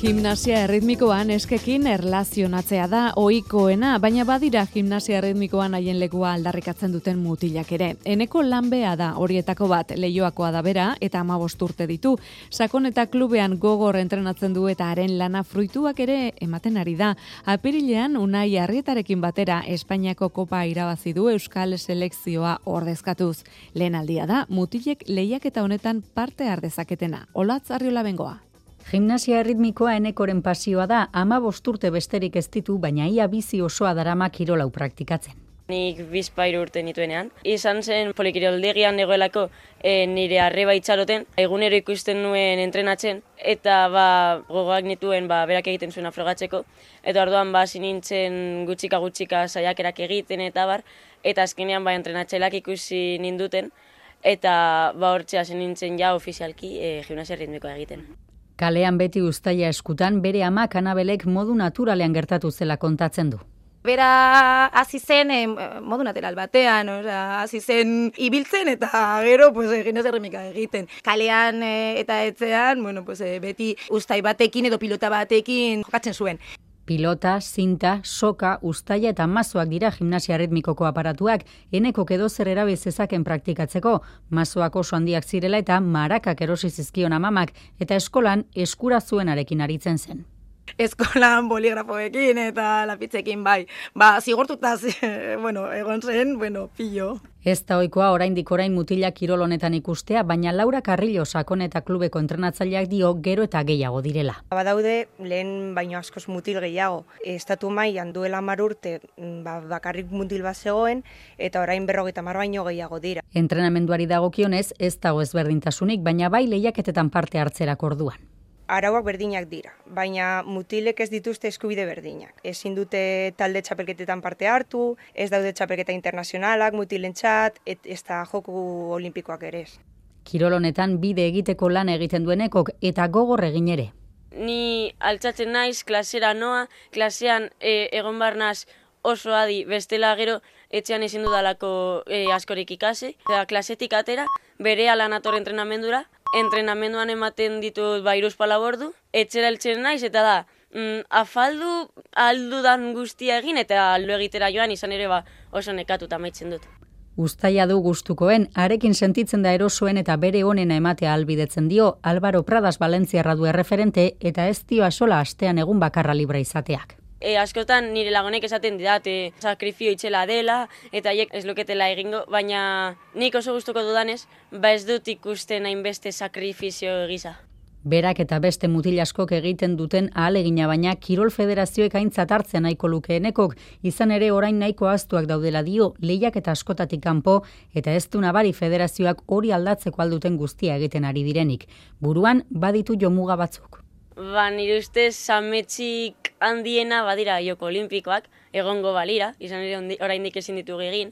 Gimnasia erritmikoan eskekin erlazionatzea da ohikoena, baina badira gimnasia erritmikoan haien lekua aldarrikatzen duten mutilak ere. Eneko lanbea da horietako bat, Leioakoa da bera eta 15 urte ditu. Sakon eta klubean gogor entrenatzen du eta haren lana fruituak ere ematen ari da. Apirilean Unai Arrietarekin batera Espainiako kopa irabazi du Euskal selekzioa ordezkatuz. Lehen aldia da mutilek lehiaketa honetan parte har dezaketena. Olatz Arriola Bengoa. Gimnasia erritmikoa Enekoren pasioa da, 15 urte besterik ez ditu, baina ia bizi osoa darama kirolau praktikatzen. Nik 2 urte nituenean. Izan zen polikiroldegian negoelako nire arreba itxaroten, egunero ikusten nuen entrenatzen, eta gogoak nituen berak egiten zuena frogatzeko. Eta orduan sinintzen gutxika saiakerak egiten eta eta azkenean entrenatzailak ikusi ninduten, eta hortzea nintzen ja ofizialki gimnasia erritmikoa egiten. Kalean beti uztaila eskutan, bere amak Anabelek modu naturalean gertatu zela kontatzen du. Bera hasi zen modu natural batean, hasi zen ibiltzen eta gero gimnasia erritmikoa egiten. Kalean eta etxean, beti uztai batekin edo pilota batekin jokatzen zuen. Pilota, zinta, soka, uztaila eta mazoak dira gimnasia erritmikoko aparatuak, Enekok edozer erabil zezaken praktikatzeko, mazoak oso handiak zirela eta marakak erosi zizkion amamak, eta eskolan eskura zuenarekin aritzen zen. Eskolan boligrafoekin eta lapitzekin zigortuta egon zen, pillo. Ez da ohikoa oraindik mutilak kirol honetan ikustea, baina Laura Carrillo Sakon eta klubeko entrenatzaileak dio gero eta gehiago direla. Badaude lehen baino askoz mutil gehiago. Estatu mailan duela 10 urte bakarrik mutil bat zegoen eta orain 50 baino gehiago dira. Entrenamenduari dagokionez ez dago ezberdintasunik, baina bai lehiaketetan parte hartzerako orduan. Arauak berdinak dira, baina mutilek ez dituzte eskubide berdinak. Ezin dute talde txapelketetan parte hartu, ez daude txapelketa internazionalak mutilentzat, ez da joku olimpikoak ere ez. Kirol honetan bide egiteko lan egiten duenekok eta gogor egin ere. Ni altzatzen naiz, klasera noa, klasean egon barnaz oso adi, bestela gero etxean ezin dudalako askorik ikasi. Klasetik atera, bere alan ator entrenamendura, entrenamenduan ematen ditut 3 ordu, etxera heltzen naiz eta da, afaldu aldudan guztia egin eta lo egitera joan izan ere oso nekatuta amaitzen dut. Uztaila du gustukoen, arekin sentitzen da erosoen eta bere onena ematea ahalbidetzen dio, Álvaro Pradas Valentziarra du erreferente eta ez dio asola astean egun bakarra libra izateak. Askotan nire lagonek esaten didate sakrifio itxela dela eta haiek ez luketela egingo, baina nik oso gustuko dudanez, ez dut ikusten hainbeste sakrifizio gisa. Berak eta beste mutil askok egiten duten ahalegina, baina Kirol Federazioek aintzat hartzen nahiko luke Enekok, izan ere orain nahiko ahaztuak daudela dio, lehiaketa askotatik kanpo eta ez du nabari federazioak hori aldatzeko alduten guztia egiten ari direnik. Buruan baditu jomuga batzuk. Nire ustez ametsik handiena badira joko olimpikoak, egongo balira, izan ere oraindik ezin ditugu egin,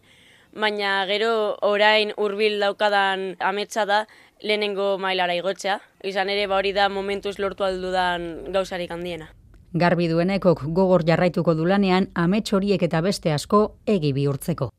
baina gero orain hurbil daukadan ametsa da lehenengo mailara igotzea, izan ere hori da momentuz lortu aldudan gauzarik handiena. Garbi duenekok gogor jarraituko du lanean amets horiek eta beste asko egi bihurtzeko.